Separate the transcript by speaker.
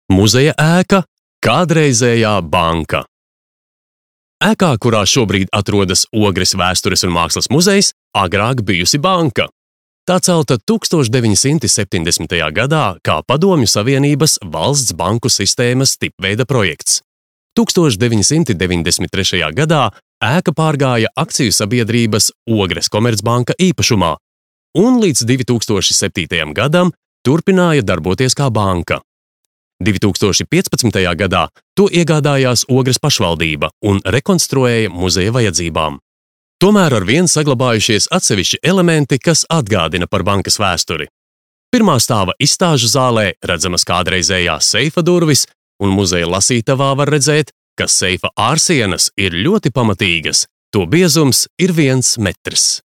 Speaker 1: Muzeja ēka – kādreizējā banka. Ēkā, kurā šobrīd atrodas Ogres vēstures un mākslas muzejs, agrāk bijusi banka. Tā celta 1970. gadā kā Padomju Savienības valsts banku sistēmas tipveida projekts. 1993. gadā ēka pārgāja akciju sabiedrības Ogres Komercbanka īpašumā un līdz 2007. gadam turpināja darboties kā banka. 2015. gadā to iegādājās Ogres pašvaldība un rekonstruēja muzeja vajadzībām. Tomēr arvien saglabājušies atsevišķi elementi, kas atgādina par bankas vēsturi. Pirmā stāva izstāžu zālē redzamas kādreizējās seifa durvis, un muzeja lasītavā var redzēt, ka seifa ārsienas ir ļoti pamatīgas. To biezums ir 1 metrs.